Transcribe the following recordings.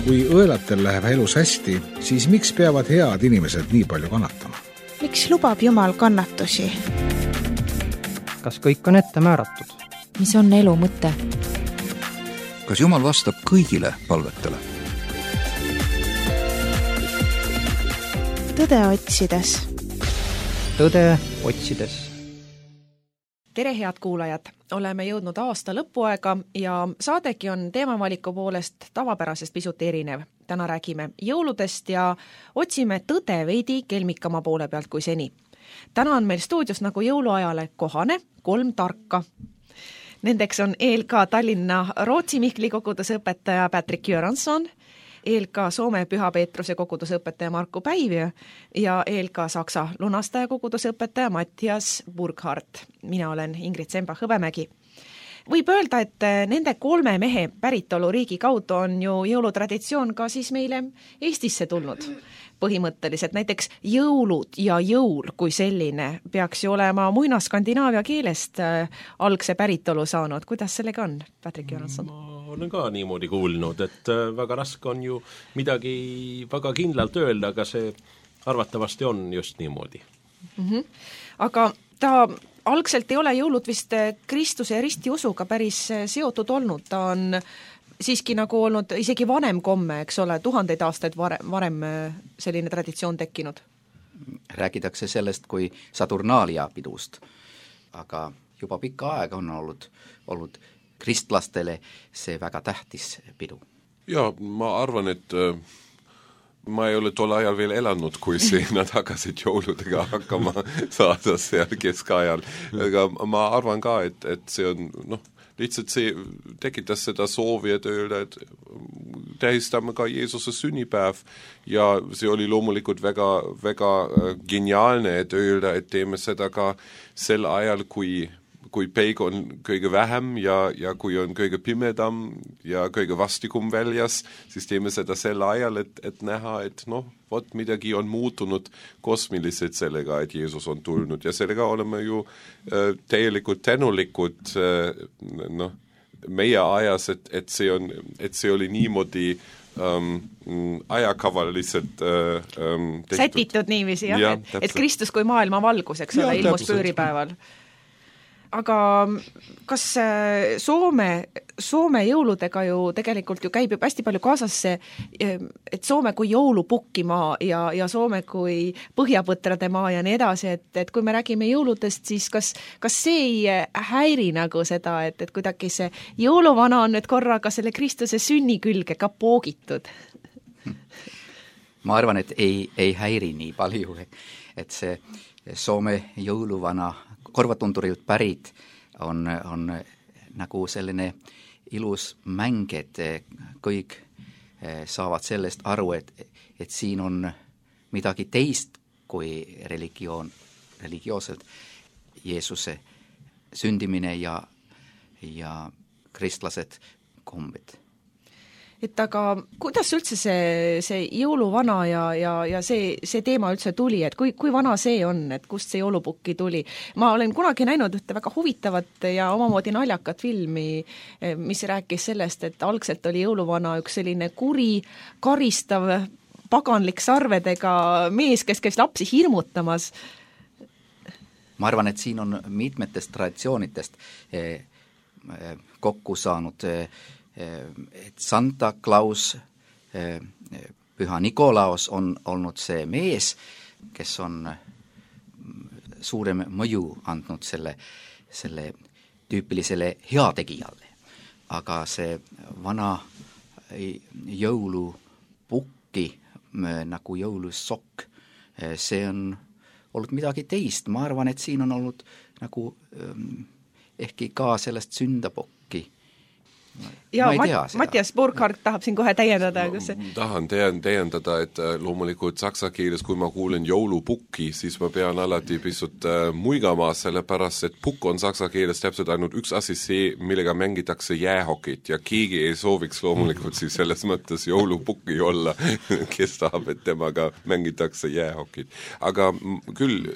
Kui õelatel läheb elus hästi, siis miks peavad head inimesed nii palju kannatama? Miks lubab Jumal kannatusi? Kas kõik on ette määratud? Mis on elu mõte? Kas Jumal vastab kõigile palvetele? Tõde otsides. Tõde otsides. Tere, head kuulajad! Oleme jõudnud aasta lõpuaega ja saadegi on teemavaliku poolest tavapärasest pisut erinev. Täna räägime jõuludest ja otsime tõde veidi kelmikama poole pealt kui seni. Täna on meil stuudios nagu jõuluajale kohane 3 tarka. Nendeks on ELK Tallinna Rootsi Mihkli kogudusõpetaja Patrick Göransson, ELK Soome Püha Peetruse kogudusõpetaja Marko Päivjö ja ELK Saksa lunastaja kogudusõpetaja Mattias Burkhardt. Mina olen Ingrid Semba-Hõbemägi. Võib öelda, et nende 3 mehe päritoluriigi kaudu on ju jõulutraditsioon ka siis meile Eestisse tulnud. Põhimõtteliselt näiteks jõulud ja jõul kui selline peaks ju olema muina-skandinaavia keelest algse päritolu saanud. Kuidas sellega on, Patrick Göransson? Ma olen ka niimoodi kuulnud, et väga raske on ju midagi väga kindlalt öelda, aga see arvatavasti on just niimoodi. Aga ta algselt ei ole jõulud vist Kristuse ja ristiusuga päris seotud olnud. Ta on siiski nagu olnud isegi vanem komme, eks ole, 1000 aastaid varem selline traditsioon tekkinud. Räägitakse sellest kui Saturnaalia pidust, aga juba pikka aega on olnud kristlastele see väga tähtis pidu. Ja, ma arvan, et ma ei ole tol ajal veel elanud, kui nad hakkasid jõuludega hakkama saada seal keskajal. Aga ma arvan ka, et see on, lihtsalt see tekitas seda soovi, et öelda, et tähistame ka Jeesuse sünnipäev ja see oli loomulikult väga, väga geniaalne, et öelda, et teeme seda ka sel ajal, kui päik on kõige vähem ja kui on kõige pimedam ja kõige vastikum väljas, siis teeme seda sel ajal, et näha, et midagi on muutunud kosmiliselt sellega, et Jeesus on tulnud ja sellega oleme ju täielikult tänulikud meie ajas, et see oli niimoodi ajakaval lihtsalt sätitud niiviisi, jah, et Kristus kui maailma valgus, eks ole, ilmus pööripäeval. Aga kas Soome jõuludega ju tegelikult ju käib hästi palju kaasas see, et Soome kui jõulupukkimaa ja Soome kui põhjapõtrade maa ja nii edasi, et kui me räägime jõuludest, siis kas see ei häiri nagu seda, et kuidagi see jõuluvana on nüüd korraga selle Kristuse sünni külge ka poogitud? Ma arvan, et ei häiri nii palju, et see Soome jõuluvana korvatundurilt pärit on nagu selline ilus mäng, et kõik saavad sellest aru, et siin on midagi teist kui religioosselt Jeesuse sündimine ja kristlased kombed. Et aga kuidas üldse see jõuluvana ja see teema üldse tuli, et kui vana see on, et kust see jõulupukki tuli? Ma olen kunagi näinud ühte väga huvitavat ja omamoodi naljakat filmi, mis rääkis sellest, et algselt oli jõuluvana üks selline kuri, karistav, paganlik sarvedega mees, kes käis lapsi hirmutamas. Ma arvan, et siin on mitmetest traditsioonitest kokku saanud, et Santa Claus, Püha Nikolaos on olnud see mees, kes on suurem mõju andnud selle tüüpilisele heategijalle. Aga see vana jõulupukki nagu jõulusokk, see on olnud midagi teist. Ma arvan, et siin on olnud nagu ehkki ka sellest sündapokki. Ja Mattias Burkhardt tahab siin kohe täiendada. Tahan täiendada, et loomulikult saksa keeles, kui ma kuulen jõulupukki, siis ma pean alati pisut muigama, sellepärast, et pukk on saksa keeles täpselt ainult üks asi see, millega mängitakse jäähokit ja keegi ei sooviks loomulikult siis selles mõttes jõulupukki olla, kes tahab, et temaga mängitakse jäähokit. Aga küll,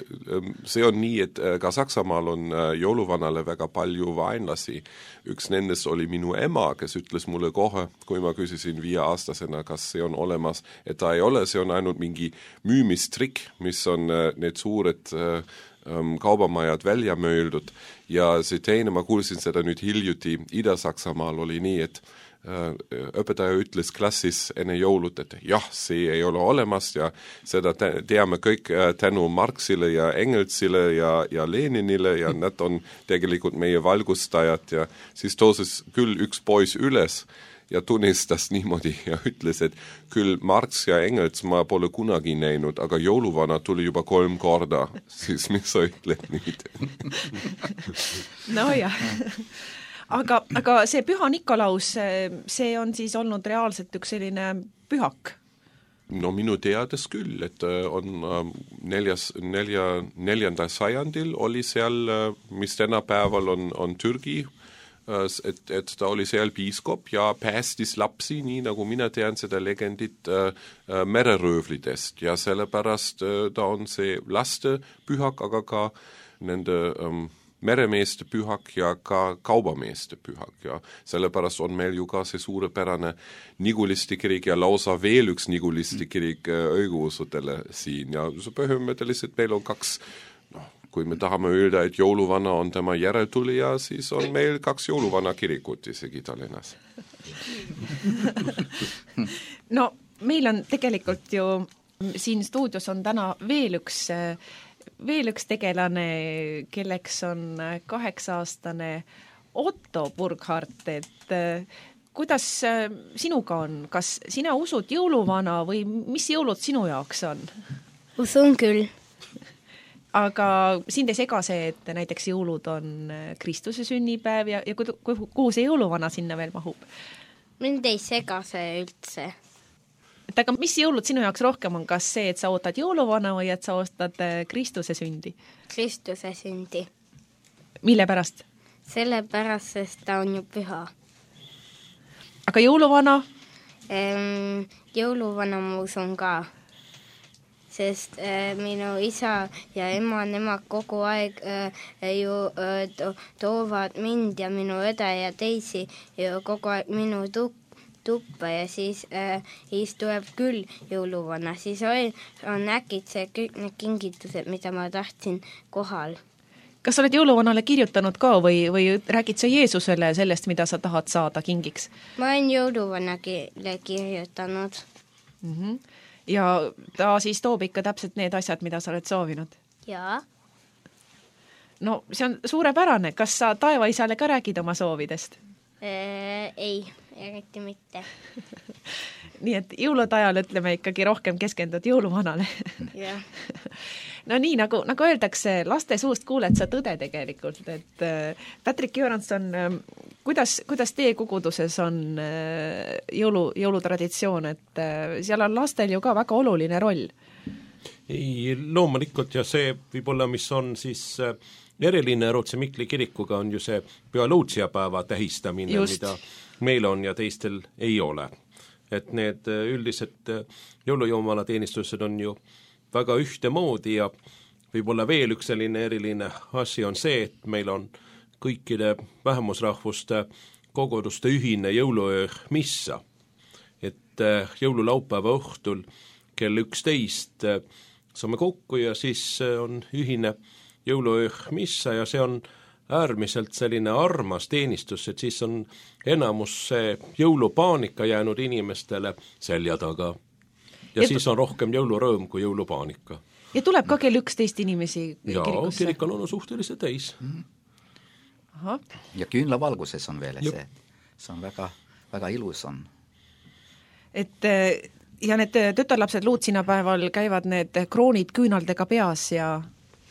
see on nii, et ka Saksamaal on jõuluvanale väga palju vaenlasi. Üks nendest oli minu ema, ema, kes ütles mulle kohe, kui ma küsisin 5-aastasena, kas see on olemas, et ta ei ole, see on ainult mingi müümistrikk, mis on need suured kaubamajad välja mööldud ja see teine, ma kuulsin seda nüüd hiljuti Ida-Saksamaal oli nii, et õpetaja ütles klassis enne jõulut, et jah, see ei ole olemas ja seda teame kõik tänu Marxile ja Engelsile ja Leninile ja nad on tegelikult meie valgustajad ja siis tõusis küll üks poiss üles ja tunnistas niimoodi ja ütles, et küll Marx ja Engels ma pole kunagi näinud, aga jõuluvana tuli juba 3 korda, siis mis sa ütled nüüd? No jah. Aga see Püha Nikolaus, see on siis olnud reaalselt üks selline pühak? No minu teades küll, et on 4. sajandil oli seal, mis tänapäeval on Türgi, et ta oli seal piiskop ja päästis lapsi, nii nagu mina tean seda legendit mereröövlitest ja sellepärast ta on see laste pühak, aga ka nende meremeeste pühak ja ka kaubameeste pühak ja sellepärast on meil ju ka see suurepärane Niguliste kirik ja lausa veel üks Niguliste kirik õigeusudele siin ja põhimõtteliselt meil on 2, kui me tahame öelda, et jõuluvana on tema järeltulija, siis on meil 2 jõuluvana kirikut isegi Tallinnas. No meil on tegelikult ju siin stuudios on täna veel üks tegelane, kelleks on 8-aastane Otto Burkhardt, et kuidas sinuga on? Kas sina usud jõuluvana või mis jõulud sinu jaoks on? Usun küll. Aga sind ei sega see, et näiteks jõulud on Kristuse sünnipäev ja kuhu see jõuluvana sinna veel mahub? Mind ei sega see üldse. Et aga mis jõulud sinu jaoks rohkem on, kas see, et sa ootad jõuluvana või et sa ootad Kristuse sündi? Kristuse sündi. Mille pärast? Sellepärast, sest ta on ju püha. Aga jõuluvana? Jõuluvana ma usun ka, sest minu isa ja ema, nemad kogu aeg ju toovad mind ja minu õde ja teisi ju kogu aeg minu tuppa ja siis tuleb küll jõuluvana, siis on äkitse kõik need kingitused, mida ma tahtsin kohal. Kas sa oled jõuluvanale kirjutanud ka või räägid sa Jeesusele sellest, mida sa tahad saada kingiks? Ma olen jõuluvanale kirjutanud. Ja ta siis toob ikka täpselt need asjad, mida sa oled soovinud? Jaa. No see on suurepärane. Kas sa taevaisale ka räägid oma soovidest? Ei, eriti mitte. Nii et jõulude ajal ütleme ikkagi rohkem keskendud jõuluvanale. Jah. No nii, nagu öeldakse, laste suust kuuled sa tõde tegelikult, et Patrick Göransson, kuidas teie koguduses on jõulutraditsioon, et seal on lastel ju ka väga oluline roll? Ei, loomulikult ja see võib-olla, mis on siis eriline Rootsi Mikli kirikuga, on ju see Püha Luutsia päeva tähistamine, mida meil on ja teistel ei ole. Et need üldised jõulujumala teenistused on ju väga ühtemoodi ja võib-olla veel üks selline eriline asi on see, et meil on kõikide vähemusrahvuste koguduste ühine jõuluöö missa. Et jõululaupäeva õhtul kell 11 saame kokku ja siis on ühine jõuluöö missa ja see on äärmiselt selline armas teenistus, et siis on enamus see jõulupaanika jäänud inimestele selja taga. Ja siis on rohkem jõulurõõm kui jõulupaanika. Ja tuleb ka kell 11 inimesi kirikusse? Kirik on olnud suhteliselt täis. Aha. Ja küünlavalguses on veel see. See on väga, väga ilus on. Et ja need tütarlapsed luutsinapäeval käivad need kroonid küünaldega peas ja...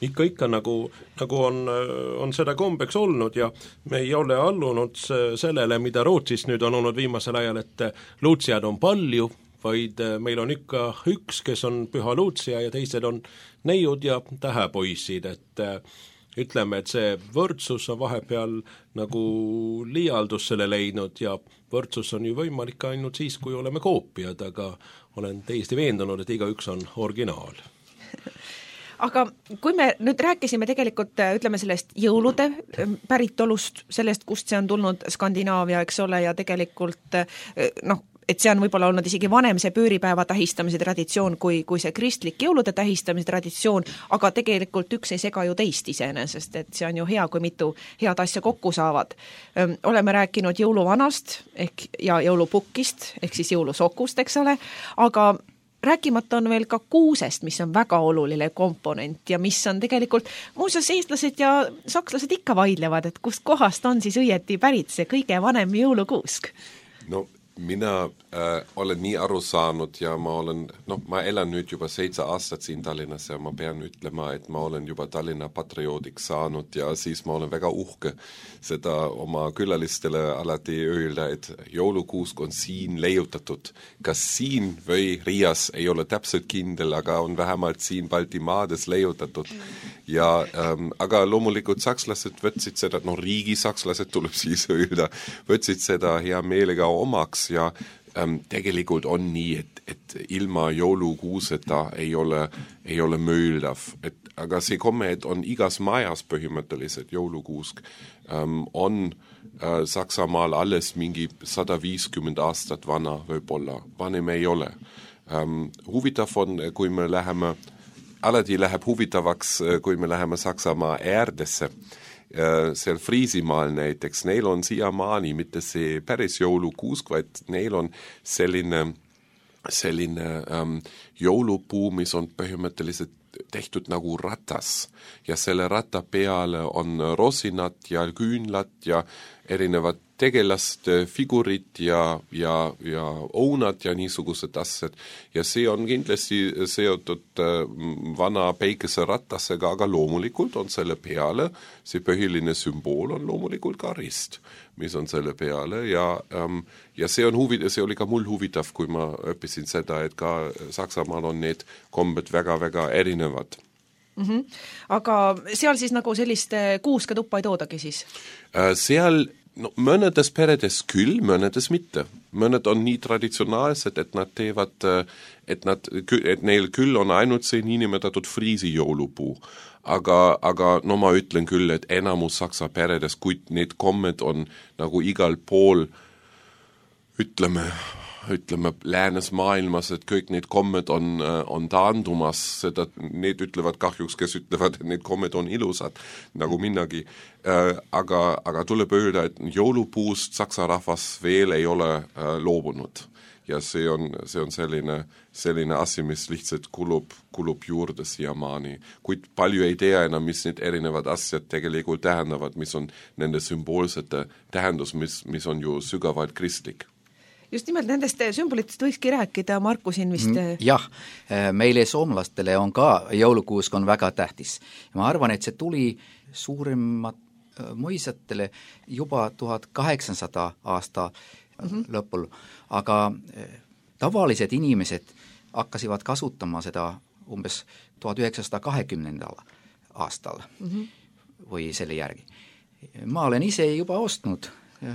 Ikka nagu on seda kombeks olnud ja me ei ole allunud sellele, mida Rootsis nüüd on olnud viimasel ajal, et luutsijad on palju, vaid meil on ikka üks, kes on Püha Luutsia ja teised on neiud ja tähepoisid, et ütleme, et see võrdsus on vahepeal nagu liialdusele leidnud ja võrdsus on ju võimalik ainult siis, kui oleme koopiad, aga olen täiesti veendunud, et igaüks on originaal. aga kui me nüüd rääkisime tegelikult, ütleme sellest jõulude päritolust, sellest, kust see on tulnud Skandinaavia, eks ole, ja tegelikult et see on võib-olla olnud isegi vanem see pööripäeva tähistamise traditsioon kui see kristlik jõulude tähistamise traditsioon, aga tegelikult üks ei sega ju teist iseenesest, et see on ju hea, kui mitu head asja kokku saavad. Oleme rääkinud jõuluvanast ja jõulupukkist, ehk siis jõulusokust, eks ole, aga rääkimata on veel ka kuusest, mis on väga oluline komponent ja mis on tegelikult, muuseas eestlased ja sakslased ikka vaidlevad, et kust kohast on siis õieti pärit see kõige vanem jõulukuusk? No mina olen nii aru saanud ja ma elan nüüd juba 7 aastat siin Tallinnas ja ma pean ütlema, et ma olen juba Tallinna patrioodiks saanud ja siis ma olen väga uhke seda oma külalistele alati öelda, et jõulukuusk on siin leiutatud. Kas siin või Riias ei ole täpselt kindel, aga on vähemalt siin Baltimaades leiutatud. Ja, aga loomulikult sakslased võtsid seda, riigisakslased tuleb siis öelda, võtsid seda hea meelega omaks ja tegelikult on nii, et ilma jõulukuuseta ei ole mööldav. Aga see komme, et on igas majas põhimõtteliselt jõulukuusk, on Saksamaal alles mingi 150 aastat vana võib-olla, vanem ei ole. Huvitav on, kui me alati läheb huvitavaks, kui me läheme Saksamaa äärtesse, seal Friisimaal näiteks, neil on siiamaani mitte see päris jõulukuusk, vaid neil on selline jõulupuu, mis on põhimõtteliselt tehtud nagu ratas ja selle ratta peale on rosinad ja küünlad ja erinevad tegelaste figurid ja õunad ja niisugused asjad. Ja see on kindlasti seotud vana päikeseratasega, aga loomulikult on selle peale, see põhiline sümbool on loomulikult ka rist, mis on selle peale ja see oli ka mul huvitav, kui ma õppisin seda, et ka Saksamaal on need kombed väga-väga erinevad. Aga seal siis nagu sellist kuuske tuppa ei toodagi siis? Seal mõnedes peredes küll, mõnedes mitte. Mõned on nii traditsionaalsed, et nad teevad, et neil küll on ainult see niinimetatud Friisi jõulupuu. Aga ma ütlen küll, et enamus saksa peredes, kui need kommed on nagu igal pool, ütleme läänes maailmas, et kõik need kommed on taandumas, need ütlevad kahjuks, kes ütlevad, et need kommed on ilusad, nagu minnagi. Aga tuleb öelda, et jõulupuust saksa rahvas veel ei ole loobunud. Ja see on selline asi, mis lihtsalt kulub juurde siiamaani. Kuid palju ei tea enam, mis need erinevad asjad tegelikult tähendavad, mis on nende sümboolsete tähendus, mis on ju sügavalt kristlik. Just nimelt nendest sümbolitest võikski rääkida, Marku siin vist. Jah, meile soomlastele on ka jõulukuusk on väga tähtis. Ma arvan, et see tuli suuremat mõisatele juba 1800 aasta lõpul, aga tavalised inimesed hakkasivad kasutama seda umbes 1920. aastal või selle järgi. Ma olen ise juba ostnud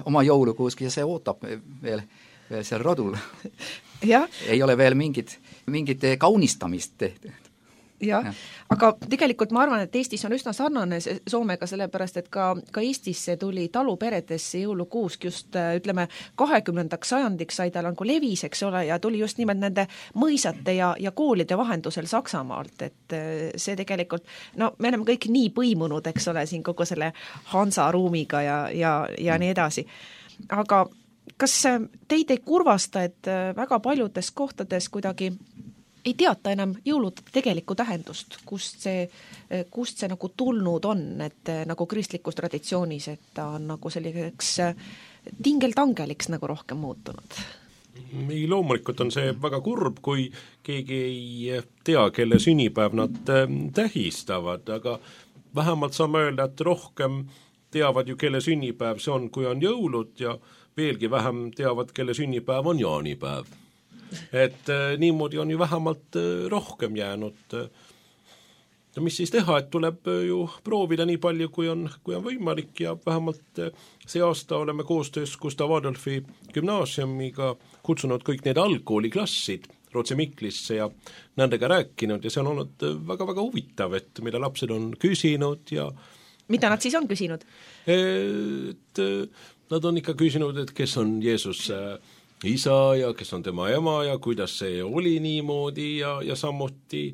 oma jõulukuuski ja see ootab veel seal rodul. Ei ole veel mingit kaunistamist tehtud. Jah, aga tegelikult ma arvan, et Eestis on üsna sarnane Soomega, sellepärast, et ka Eestisse tuli taluperedesse jõulukuusk just, ütleme, 20. sajandiks sai tal nagu levis, eks ole, ja tuli just nimelt nende mõisate ja koolide vahendusel Saksamaalt, et see tegelikult, me oleme kõik nii põimunud, eks ole, siin kogu selle Hansa ruumiga ja nii edasi. Aga kas teid ei kurvasta, et väga paljudes kohtades kuidagi ei teata enam jõulude tegelikku tähendust, kust see nagu tulnud on, et nagu kristlikus traditsioonis, et ta on nagu selliseks tingeltangeliks nagu rohkem muutunud? Ei, loomulikult on see väga kurb, kui keegi ei tea, kelle sünnipäev nad tähistavad, aga vähemalt saame öelda, et rohkem teavad ju, kelle sünnipäev see on, kui on jõulud ja veelgi vähem teavad, kelle sünnipäev on jaanipäev. Et niimoodi on ju vähemalt rohkem jäänud. Ja mis siis teha, et tuleb ju proovida nii palju, kui on võimalik ja vähemalt see aasta oleme koostöös Gustav Adolfi gümnaasiumiga kutsunud kõik need algkooliklassid Rootsi Miklisse ja nendega rääkinud ja see on olnud väga-väga huvitav, et mida lapsed on küsinud ja mida nad siis on küsinud? Et nad on ikka küsinud, et kes on Jeesus isa ja kes on tema ema ja kuidas see oli niimoodi ja samuti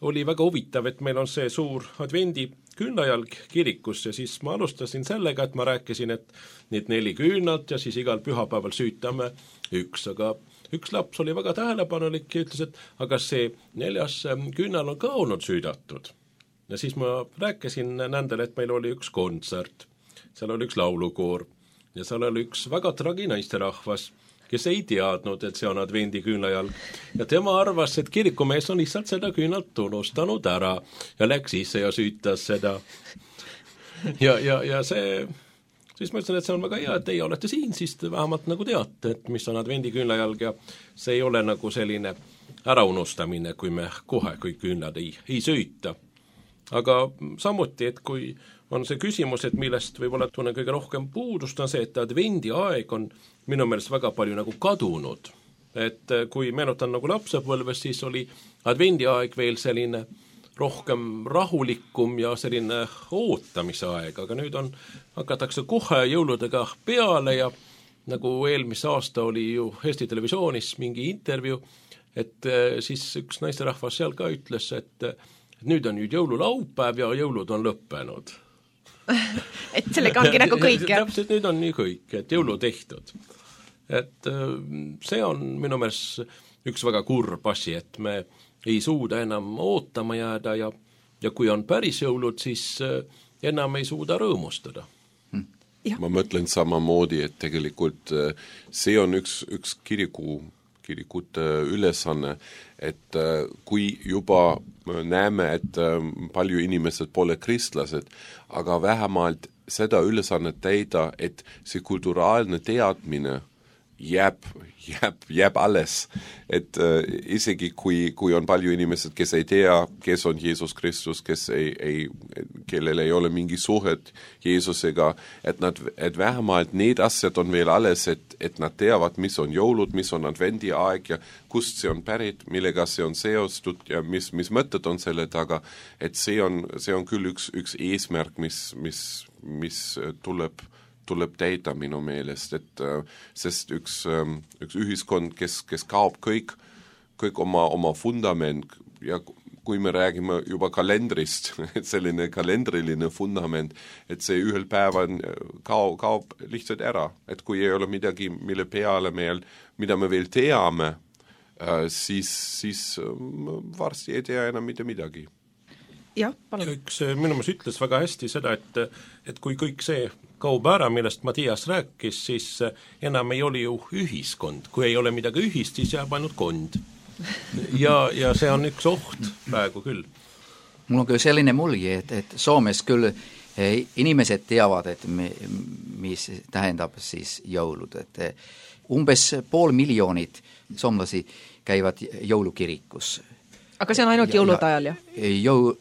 oli väga huvitav, et meil on see suur advendi küünlajalg kirikus ja siis ma alustasin sellega, et ma rääkisin, et need 4 küünalt ja siis igal pühapäeval süütame üks, aga üks laps oli väga tähelepanelik ja ütles, et aga see 4. küünal on ka olnud süüdatud. Ja siis ma rääkisin nendele, et meil oli üks kontsert, seal oli üks laulukoor ja seal oli üks väga tragi naisterahvas, kes ei teadnud, et see on advendi küünlajalg. Ja tema arvas, et kirikumees on lihtsalt seda küünalt unustanud ära ja läks sisse ja süütas seda. Ja see, siis ma ütlesin, et see on väga hea, et teie olete siin, siis te vähemalt nagu teate, et mis on advendi küünlajalg ja see ei ole nagu selline äraunustamine, kui me kohe kõik küünlad ei süüta. Aga samuti, et kui on see küsimus, et millest võib-olla tunnen kõige rohkem puudust, on see, et advendi aeg on minu meelest väga palju nagu kadunud. Et kui meenutan nagu lapsepõlves, siis oli advendi aeg veel selline rohkem rahulikum ja selline ootamise aeg, aga nüüd hakatakse kohe jõuludega peale ja nagu eelmise aasta oli ju Eesti Televisioonis mingi intervjuu, et siis üks naisterahvas seal ka ütles, et nüüd on nüüd jõululaupäev ja jõulud on lõppenud. Et sellega ongi nagu kõik, jah? Täpselt, nüüd on nii kõik, et jõulu tehtud. Et see on minu meelest üks väga kurb asi, et me ei suuda enam ootama jääda ja kui on päris jõulud, siis enam ei suuda rõõmustada. Ma mõtlen samamoodi, et tegelikult see on üks kirikute ülesanne, et kui juba näeme, et palju inimesed pole kristlased, aga vähemalt seda ülesannet täida, et see kulturaalne teadmine jääb alles, et isegi kui on palju inimesed, kes ei tea, kes on Jeesus Kristus, kellel ei ole mingi suhet Jeesusega, et vähemalt need asjad on veel alles, et nad teavad, mis on jõulud, mis on advendi aeg ja kust see on pärit, millega see on seostud ja mis mõtted on selle taga, et see on küll üks eesmärk, mis tuleb täida minu meelest, et sest üks ühiskond, kes kaob kõik oma fundament ja kui me räägime juba kalendrist, et selline kalendriline fundament, et see ühel päeval kaob lihtsalt ära, et kui ei ole midagi, mille peale mida me veel teame, siis varsti ei tea enam mitte midagi. Jah, palun. Üks minu meelest ütles väga hästi seda, et kui kõik see kaob ära, millest Mattias rääkis, siis enam ei ole ju ühiskond. Kui ei ole midagi ühist, siis jääb ainult kond. Ja see on üks oht praegu küll. Mul on küll selline mulje, et Soomes küll inimesed teavad, et mis tähendab siis jõulud. Et umbes 500 000 soomlasi käivad jõulukirikus. Aga see on ainult jõulude ajal, jah?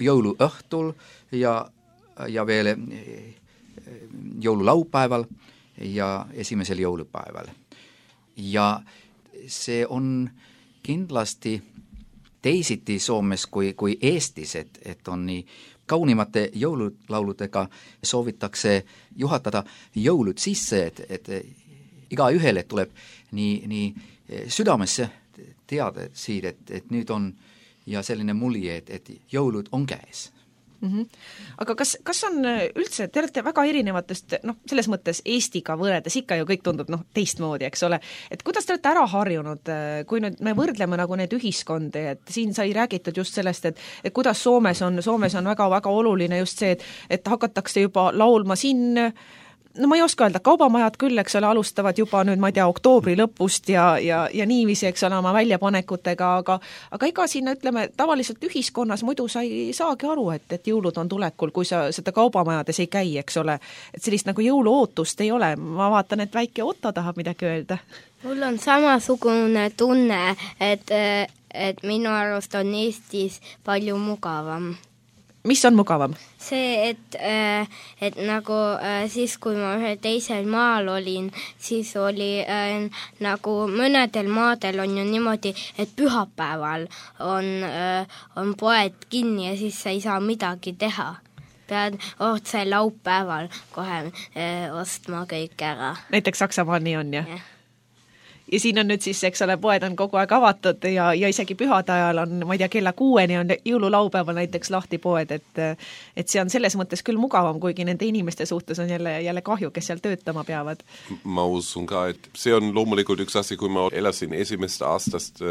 Jõuluõhtul ja veel jõululaupäeval ja esimesel jõulupäeval. Ja see on kindlasti teisiti Soomes kui Eestis, et on nii kaunimate jõululauludega soovitakse juhatada jõulud sisse, et iga ühele tuleb nii südamesse teada siid, et nüüd on ja selline mulje, et jõulud on käes. Aga kas on üldse, te olete väga erinevatest, selles mõttes Eestiga võrredes ikka ju kõik tundub teistmoodi, eks ole, et kuidas te olete ära harjunud, kui nüüd me võrdleme nagu need ühiskondi, et siin sai räägitud just sellest, et kuidas Soomes on väga-väga oluline just see, et hakatakse juba laulma siin, ma ei oska öelda, kaubamajad küll, eks ole, alustavad juba nüüd, ma ei tea, oktoobri lõpust ja niiviisi, eks ole, oma väljapanekutega, aga ega siin, ütleme, tavaliselt ühiskonnas muidu sa ei saagi aru, et jõulud on tulekul, kui sa seda kaubamajades ei käi, eks ole, et sellist nagu jõuluootust ei ole. Ma vaatan, et väike Otto tahab midagi öelda. Mul on samasugune tunne, et minu arust on Eestis palju mugavam. mis on mugavam? See, et nagu siis, kui ma ühel teisel maal olin, siis oli nagu mõnedel maadel on ju niimoodi, et pühapäeval on poed kinni ja siis sa ei saa midagi teha. Pead otse laupäeval kohe ostma kõik ära. Näiteks Saksamaal nii on, jah? Ja siin on nüüd siis, eks ole, poed on kogu aeg avatud ja isegi pühade ajal on, ma ei tea, kella 6 on jõululaupäeval näiteks lahti poed, et see on selles mõttes küll mugavam, kuigi nende inimeste suhtes on jälle kahju, kes seal töötama peavad. Ma usun ka, et see on loomulikult üks asi, kui ma elasin esimest aastast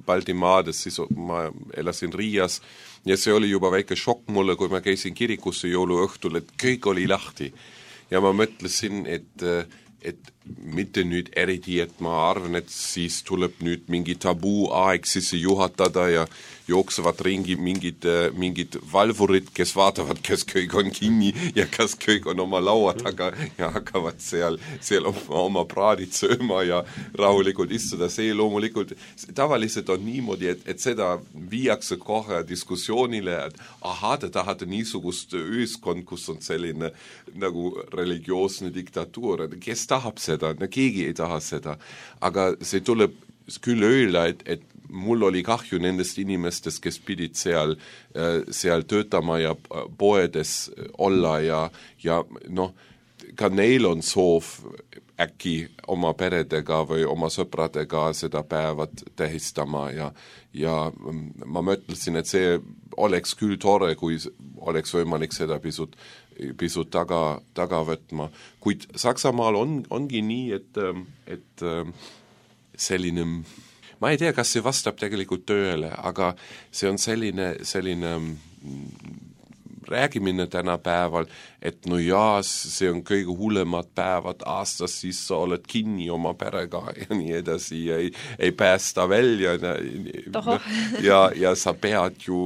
Baltimaades, siis ma elasin Riias ja see oli juba väike šokk mulle, kui ma käisin kirikusse jõuluõhtul, et kõik oli lahti. Ja ma mõtlesin, et mitte nüüd eriti, et ma arvan, et siis tuleb nüüd mingi tabuu aeg sisse juhatada ja jooksevad ringi mingid valvurid, kes vaatavad, kes kõik on kinni ja kas kõik on oma laua taga ja hakkavad seal oma praadid sööma ja rahulikult istuda. See loomulikult tavaliselt on niimoodi, et seda viiakse kohe diskussioonile, et te tahate niisugust ühiskond, kus on selline nagu religioosne diktatuur, kes tahab seda, keegi ei taha seda, aga see tuleb küll öelda, et mul oli kahju nendest inimestest, kes pidid seal töötama ja poedes olla ja noh, ka neil on soov äkki oma peredega või oma sõpradega seda päevat tähistama ja ma mõtlesin, et see oleks küll tore, kui oleks võimalik seda pisut taga võtma. Kuid Saksamaal ongi nii, et selline, ma ei tea, kas see vastab tegelikult tööle, aga see on selline räägimine tänapäeval, et no jaa, see on kõige hullemad päevad aastas, siis sa oled kinni oma perega ja nii edasi ja ei päästa välja ja sa pead ju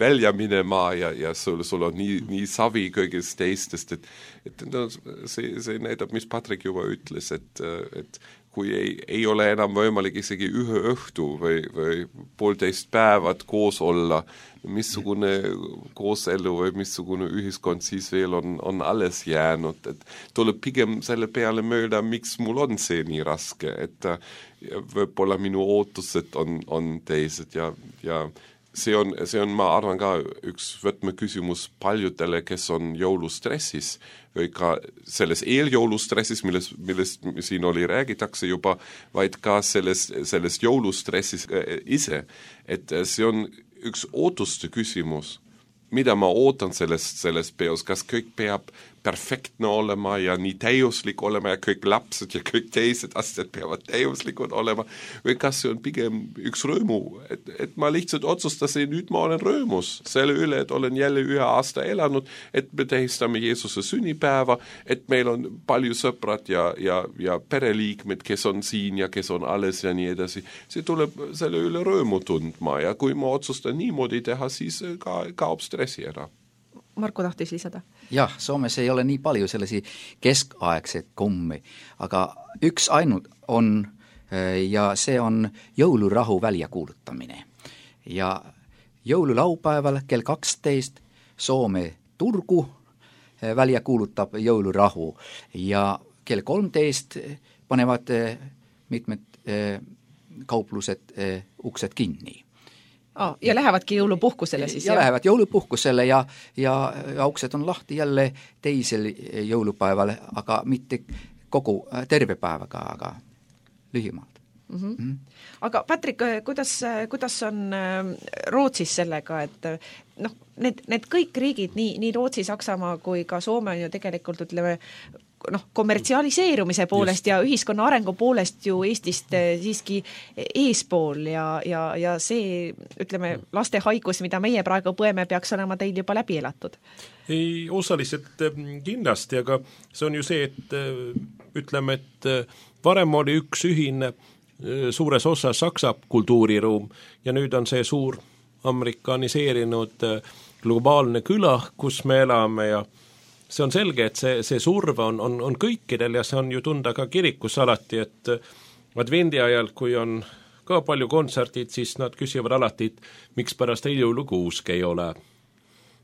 välja minema ja sul on nii savi kõigest teistest, et no, see näitab, mis Patrik juba ütles, et kui ei ole enam võimalik isegi ühe õhtu või 1,5 päevad koos olla, missugune kooselu või missugune ühiskond siis veel on alles jäänud, et tuleb pigem selle peale mööda, miks mul on see nii raske, et võib-olla minu ootused on teised ja see on, ma arvan ka üks võtmeküsimus paljudele, kes on jõulustressis või ka selles eeljõulustressis, millest siin räägitakse juba, vaid ka sellest jõulustressis ise, et see on üks ootuste küsimus, mida ma ootan sellest peos, kas kõik peab perfektne olema ja nii täiuslik olema ja kõik lapsed ja kõik teised asjad peavad täiuslikud olema või kas see on pigem üks rõõmu, et ma lihtsalt otsustasin, nüüd ma olen rõõmus selle üle, et olen jälle 1 aasta elanud, et me tähistame Jeesuse sünnipäeva, et meil on palju sõprad ja pereliikmed, kes on siin ja kes on alles ja nii edasi. See tuleb selle üle rõõmu tundma ja kui ma otsustan niimoodi teha, siis kaob stressi ära. Marko tahtis lisada. Jah, Soomes ei ole nii palju sellisi keskaegseid kommi, aga üks ainult on ja see on jõulurahu väljakuulutamine. Ja jõululaupäeval kell 12 Soome Turku välja kuulutab jõulurahu ja kell 13 panevad mitmed kauplused uksed kinni. Ja lähevadki jõulupuhkusele siis? Ja lähevad jõulupuhkusele ja uksed on lahti jälle teisel jõulupäeval, aga mitte kogu terve päevaga, aga lühimalt. Mm-hmm. Aga Patrik, kuidas on Rootsis sellega, et noh, need kõik riigid, nii Rootsi, Saksamaa kui ka Soome on ju tegelikult, ütleme, kommertsialiseerumise poolest ja ühiskonna arengu poolest ju Eestist siiski eespool ja see, ütleme, laste haigus, mida meie praegu põeme, peaks olema teil juba läbi elatud? Ei, osaliselt kindlasti, aga see on ju see, et ütleme, et varem oli üks ühine suures osas Saksa kultuuriruum ja nüüd on see suur amerikaniseerinud globaalne küla, kus me elame ja see on selge, et see surve on kõikidel ja see on ju tunda ka kirikus alati, et advendi ajal, kui on ka palju kontserdid, siis nad küsivad alati, et miks pärast jõulukuusk ei ole.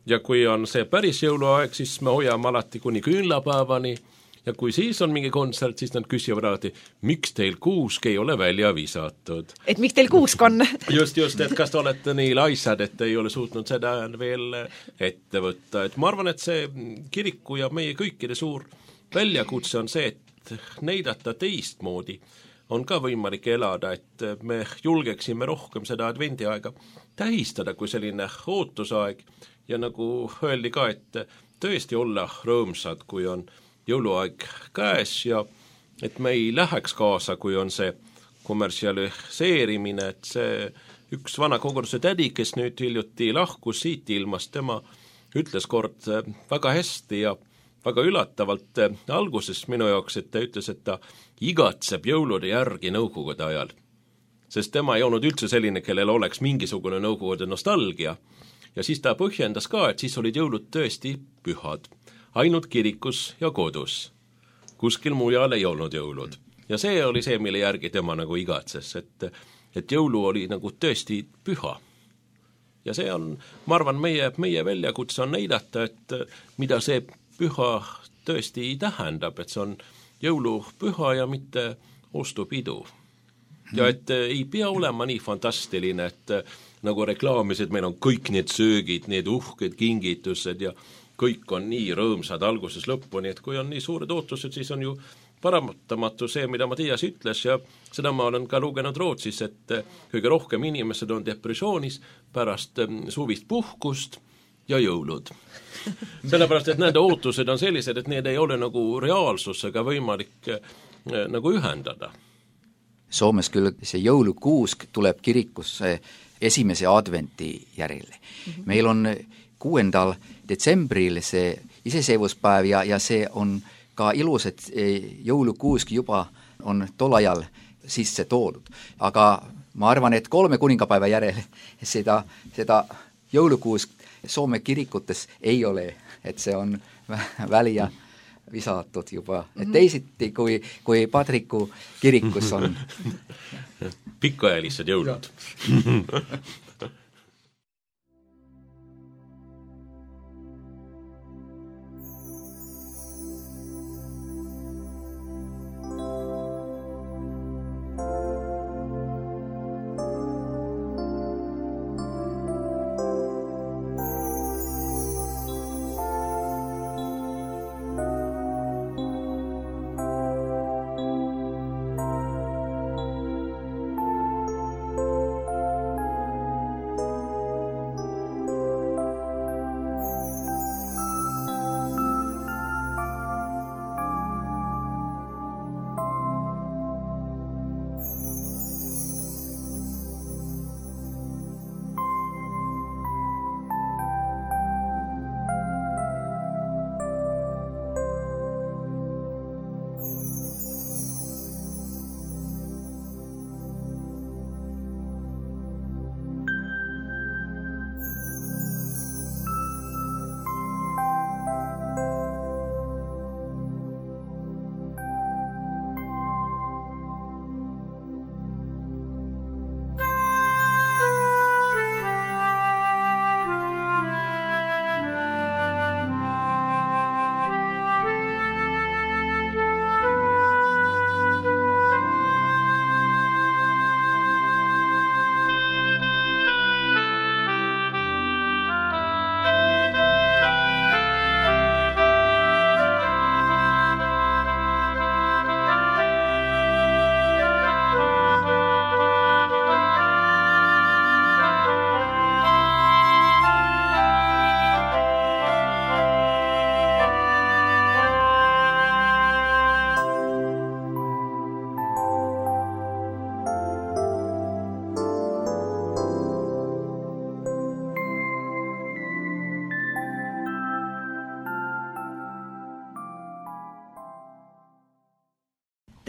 ja kui on see päris jõuluaeg, siis me hoiame alati kuni küünlapäevani ja kui siis on mingi kontsert, siis nad küsivad alati, miks teil kuusk ei ole välja visatud. Et miks teil kuusk on? just, et kas te olete nii laisad, et ei ole suutnud seda veel ette võtta. Et ma arvan, et see kiriku ja meie kõikide suur väljakutse on see, et näidata teistmoodi on ka võimalik elada, et me julgeksime rohkem seda advendiaega tähistada kui selline ootusaeg ja nagu öeldi ka, et tõesti olla rõõmsad, kui on jõuluaeg käes ja et me ei läheks kaasa, kui on see kommertsialiseerimine, et see üks vana koguduse tädi, kes nüüd hiljuti lahkus siit ilmast, tema ütles kord väga hästi ja väga üllatavalt alguses minu jaoks, et ta ütles, et ta igatseb jõulude järgi nõukogude ajal. Sest tema ei olnud üldse selline, kellel oleks mingisugune nõukogude nostalgia. Ja siis ta põhjendas ka, et siis olid jõulud tõesti pühad. Ainult kirikus ja kodus. Kuskil mujal ei olnud jõulud. Ja see oli see, mille järgi tema nagu igatses, et jõulu oli nagu tõesti püha. Ja see on, ma arvan, meie väljakutse on näidata, et mida see püha tõesti tähendab, et see on jõulupüha ja mitte ostupidu. Ja et ei pea olema nii fantastiline, et nagu reklaamisid, meil on kõik need söögid, need uhked kingitused ja kõik on nii rõõmsad alguses lõpuni, et kui on nii suured ootused, siis on ju paratamatu see, mida Mattias ütles ja seda ma olen ka lugenud Rootsis, et kõige rohkem inimesed on depressioonis pärast suvist puhkust ja jõulud. Sellepärast, et nende ootused on sellised, et need ei ole nagu reaalsusega võimalik nagu ühendada. Soomes küll see jõulukuusk tuleb kirikusse esimese adventi järele. Meil on 6. detsembril see iseseisvuspäev ja see on ka ilus, et jõulukuusk juba on tol ajal sisse toodud. Aga ma arvan, et 3 kuningapäeva järel seda jõulukuusk Soome kirikutes ei ole, et see on välja visatud juba. Et teisiti kui Padriku kirikus on. Pikaajalissed jõulud.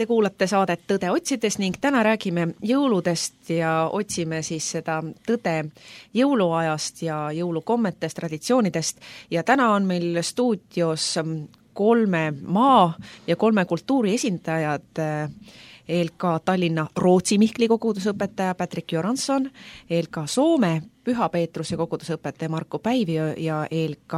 Te kuulate saadet Tõde otsides ning täna räägime jõuludest ja otsime siis seda tõde jõuluajast ja jõulukommetest, traditsioonidest ja täna on meil stuudios 3 maa ja 3 kultuuri esindajad ELK Tallinna Rootsi Mihkli kogudusõpetaja Patrick Göransson, ELK Soome Püha Peetruse kogudusõpetaja Marko Päivio ja ELK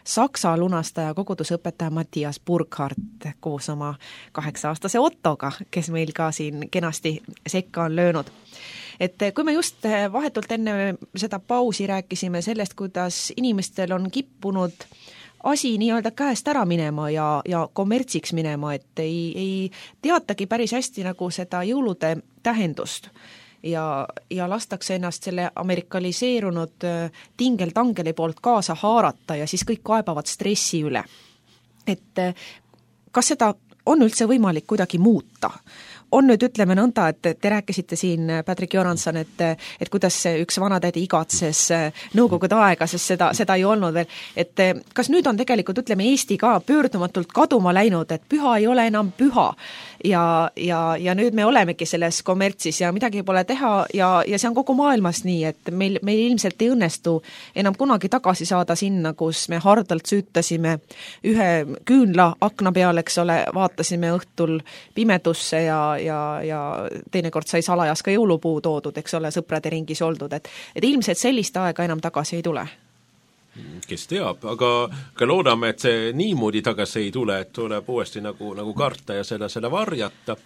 Saksa lunastaja kogudusõpetaja Mattias Burkhardt koos oma 8-aastase Ottoga, kes meil ka siin kenasti sekka on löönud. Et kui me just vahetult enne seda pausi rääkisime sellest, kuidas inimestel on kippunud asi nii-öelda käest ära minema ja kommertsiks minema, et ei teatagi päris hästi nagu seda jõulude tähendust ja lastakse ennast selle amerikaliseerunud tingeltangeli poolt kaasa haarata ja siis kõik kaebavad stressi üle. Et kas seda on üldse võimalik kuidagi muuta? On nüüd, ütleme nõnda, et te rääkisite siin, Patrick Göransson, et kuidas üks vanatädi igatses nõukogude aega, sest seda ei olnud veel. Et kas nüüd on tegelikult, ütleme, Eesti ka pöördumatult kaduma läinud, et püha ei ole enam püha ja nüüd me olemegi selles kommertsis ja midagi pole teha ja see on kogu maailmas nii, et meil ilmselt ei õnnestu enam kunagi tagasi saada sinna, kus me hardalt süütasime ühe küünla akna peal, eks ole, vaatasime õhtul pimedusse ja teinekord sai salajas ka jõulupuu toodud, eks ole, sõprade ringis oldud, et ilmselt sellist aega enam tagasi ei tule. Kes teab, aga loodame, et see niimoodi tagasi ei tule, et tuleb uuesti nagu karta ja selle varjata,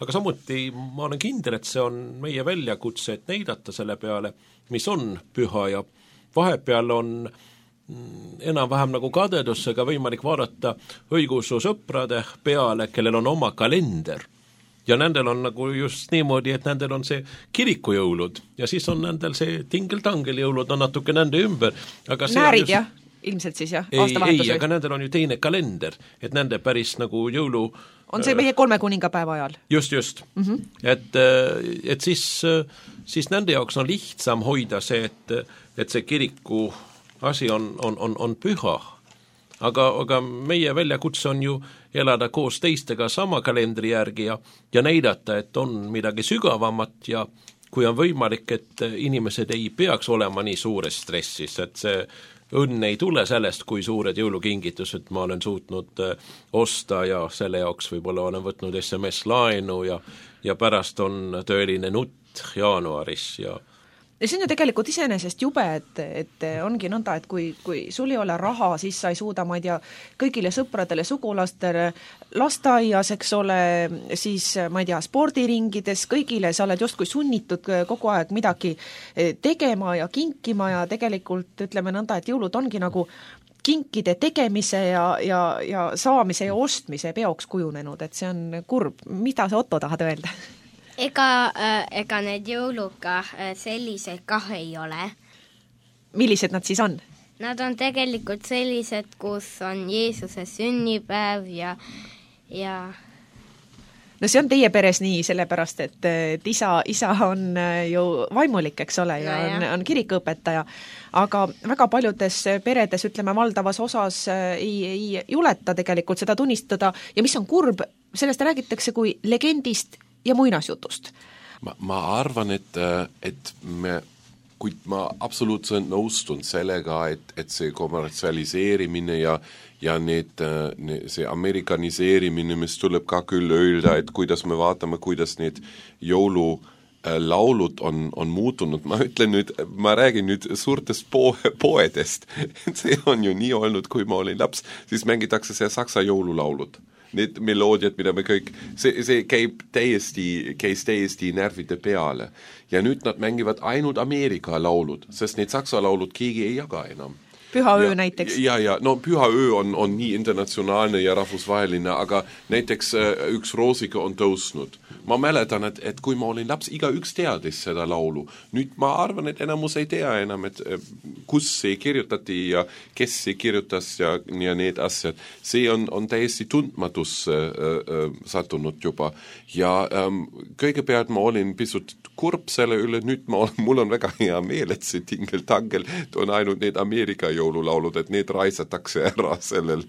aga samuti ma olen kindel, et see on meie väljakutse, et näidata selle peale, mis on püha ja vahepeal on enam-vähem nagu kadedusega võimalik vaadata õigeusu sõprade peale, kellel on oma kalender. Ja nendel on nagu just niimoodi, et nendel on see kirikujõulud ja siis on nendel see tingeltangel jõulud on natuke nende ümber. Aga näärid jah, ilmselt siis jah, aastavahetus. Ei, aga nendel on ju teine kalender, et nende päris nagu jõulu... On see meie 3 kuningapäeva ajal? Just. Et siis nende jaoks on lihtsam hoida see, et see kiriku asi on püha. Aga meie väljakutse on ju elada koos teistega sama kalendri järgi ja näidata, et on midagi sügavamat ja kui on võimalik, et inimesed ei peaks olema nii suures stressis, et see õnn ei tule sellest, kui suured jõulukingitused ma olen suutnud osta ja selle jaoks võib-olla olen võtnud SMS-laenu ja pärast on tõeline nutt jaanuaris ja see on ju tegelikult iseenesest jube, et ongi nõnda, et kui sul ei ole raha, siis sa ei suuda, ma ei tea, kõigile sõpradele, sugulastele, lasteaias, eks ole, siis ma ei tea, spordiringides, kõigile sa oled justkui sunnitud kogu aeg midagi tegema ja kinkima ja tegelikult ütleme nõnda, et jõulud ongi nagu kinkide tegemise ja saamise ja ostmise peoks kujunenud, et see on kurb. Mida sa, Otto, tahad öelda? Ega need jõuluga sellised kah ei ole. Millised nad siis on? Nad on tegelikult sellised, kus on Jeesuse sünnipäev ja No see on teie peres nii, sellepärast, et isa on ju vaimulik, eks ole, ja on kirikuõpetaja, aga väga paljudes peredes, ütleme, valdavas osas ei juleta tegelikult seda tunnistada ja mis on kurb, sellest räägitakse kui legendist ja muinasjutust. Ma arvan, et kuid ma absoluutselt nõustun sellega, et see kommertsialiseerimine ja see amerikaniseerimine, mis tuleb ka küll öelda, et kuidas me vaatame, kuidas need jõululaulud on muutunud. Ma räägin nüüd suurtest poedest. See on ju nii olnud, kui ma olin laps, siis mängitakse see saksa jõululaulud. Need meloodiad, mida me kõik, see käis täiesti närvide peale. Ja nüüd nad mängivad ainult Ameerika laulud, sest need saksa laulud keegi ei jaga enam. Pühaöö näiteks. No Pühaöö on nii internatsionaalne ja rahvusvaheline, aga näiteks üks Roosika on tõusnud. Ma mäletan, et kui ma olin laps, igaüks teadis seda laulu. Nüüd ma arvan, et enamus ei tea enam, et kus see kirjutati ja kes see kirjutas ja need asjad. See on täiesti tundmatus sattunud juba. Ja kõigepealt ma olin pisut kurb selle üle, nüüd mul on väga hea meel, et see tingeltangel on ainult need Ameerika jõululaulud, et need raisatakse ära sellel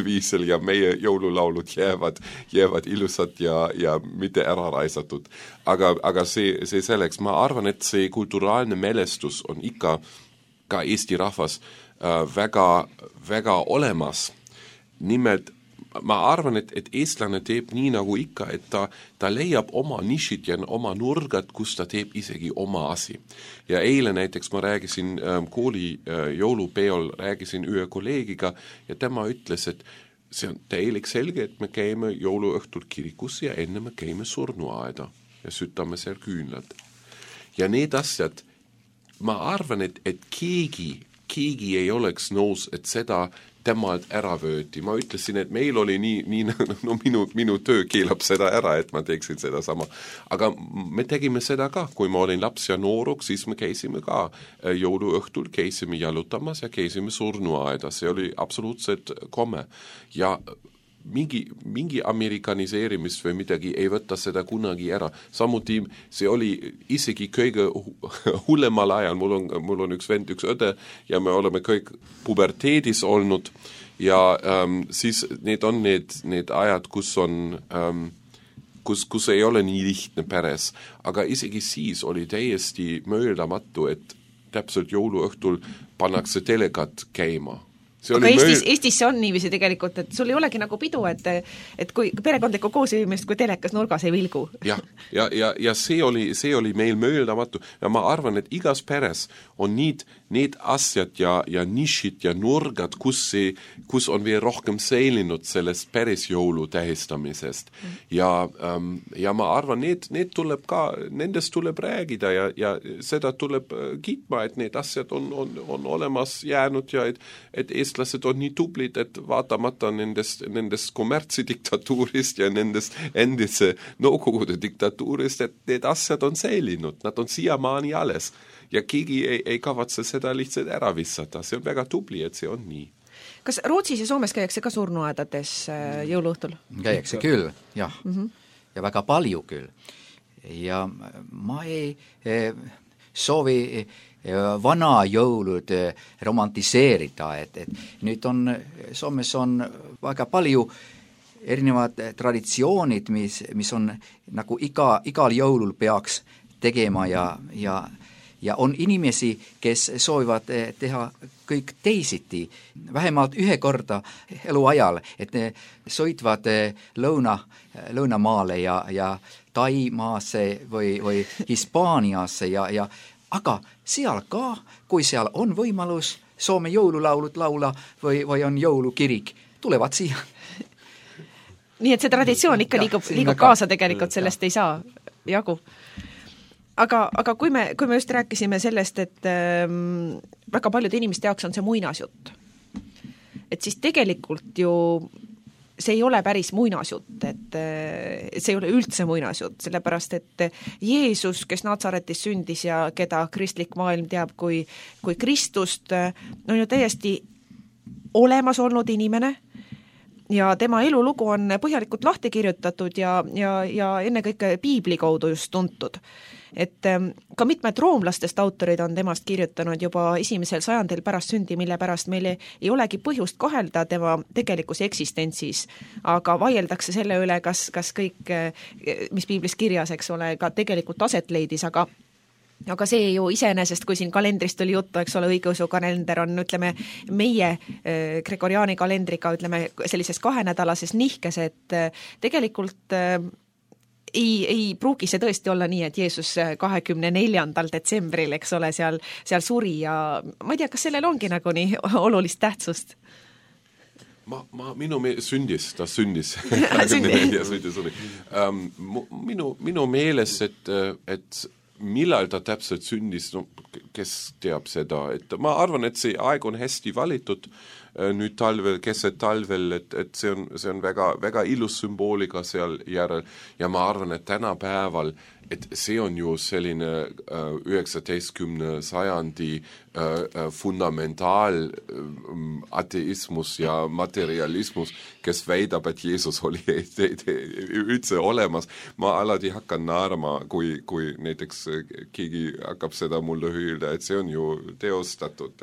viisel ja meie jõululaulud jäävad ilusad ja mitte ära raisatud. Aga see selleks, ma arvan, et see kulturaalne mälestus on ikka ka Eesti rahvas väga, väga olemas. Nimelt ma arvan, et eestlane teeb nii nagu ikka, et ta leiab oma nišid ja oma nurgad, kus ta teeb isegi oma asi. Ja eile näiteks ma räägisin kooli jõulupeol, räägisin ühe kolleegiga ja tema ütles, et see on täielik selge, et me käime jõuluõhtul kirikus ja enne me käime surnuaeda ja sütame seal küünlad. Ja need asjad, ma arvan, et keegi ei oleks nõus, et seda temalt ära vööti. Ma ütlesin, et meil oli nii no minu töö keelab seda ära, et ma teeksin seda sama. Aga me tegime seda ka, kui ma olin laps ja nooruk, siis me käisime ka jõuluõhtul, käisime jalutamas ja käisime surnuaeda. See oli absoluutselt komme. Ja mingi amerikaniseerimist või midagi ei võtta seda kunagi ära. Samuti see oli isegi kõige hullemal ajal. Mul on üks vend, üks õde ja me oleme kõik puberteedis olnud ja siis need on need ajad, kus ei ole nii lihtne peres. Aga isegi siis oli täiesti möödamatu, et täpselt jõuluõhtul pannakse telekat käima. Aga Eestis see on niiviisi tegelikult, et sul ei olegi nagu pidu, et kui perekondlikku koosviimist, kui telekas nurgas ei vilgu. Ja see oli meil möödamatu. Ja ma arvan, et igas peres on need asjad ja nišid ja nurgad, kus on veel rohkem säilinud sellest päris jõulu tähistamisest. Ja ma arvan, nendest tuleb räägida ja seda tuleb kiitma, et need asjad on olemas jäänud ja et eestlased on nii tublid, et vaatamata nendest kommertsidiktatuurist ja nendest endise Nõukogude diktatuurist, et need asjad on säilinud, nad on siiamaani alles. Ja keegi ei kavatse seda lihtsalt ära vissata. See on väga tubli, et see on nii. Kas Rootsis ja Soomes käiakse ka surnuaedades jõuluõhtul? Käiakse küll, jah. Ja väga palju küll. Ja ma ei soovi vana jõulud romantiseerida, et nüüd Soomes on väga palju erinevad traditsioonid, mis on nagu igal jõulul peaks tegema ja on inimesi, kes soovivad teha kõik teisiti, vähemalt ühe korda eluajal, et ne sõitvad lõunamaale ja Taimaasse või Hispaaniasse aga seal ka, kui seal on võimalus Soome jõululaulud laula või on jõulukirik, tulevad siia. Nii et see traditsioon ikka liigub kaasa tegelikult, sellest ei saa jagu. Aga kui me just rääkisime sellest, et väga paljude inimeste jaoks on see muinasjutt, et siis tegelikult ju see ei ole päris muinasjutt, et see ei ole üldse muinasjutt, sellepärast et Jeesus, kes Natsaretis sündis ja keda kristlik maailm teab kui Kristust, on ju täiesti olemas olnud inimene ja tema elulugu on põhjalikult lahti kirjutatud ja ennekõike piibli kaudu just tuntud. Et ka mitmed roomlastest autorid on temast kirjutanud juba 1. sajandil pärast sündi, mille pärast meil ei olegi põhjust kahelda tema tegelikus eksistentsis, aga vaieldakse selle üle, kas kõik, mis piiblis kirjas, eks ole, ka tegelikult aset leidis, aga see ju iseenesest, kui siin kalendrist oli juttu, eks ole, õigeusu kalender on, ütleme, meie gregoriaani kalendriga, ütleme, sellises 2-nädalases nihkes, et tegelikult ei pruugi see tõesti olla nii, et Jeesus 24. detsembril, eks ole, seal suri ja ma ei tea, kas sellel ongi nagu nii olulist tähtsust? Minu sündis. Minu meeles, et millal ta täpselt sündis, kes teab seda, et ma arvan, et see aeg on hästi valitud nüüd talvel, keset talvel, et see on väga, väga ilus sümbooliga seal järel ja ma arvan, et tänapäeval, et see on ju selline 19. sajandi fundamentaal ateismus ja materialismus, kes väidab, et Jeesus oli üldse olemas. Ma alati hakkan naarma, kui näiteks keegi hakkab seda mulle öelda, et see on ju teostatud,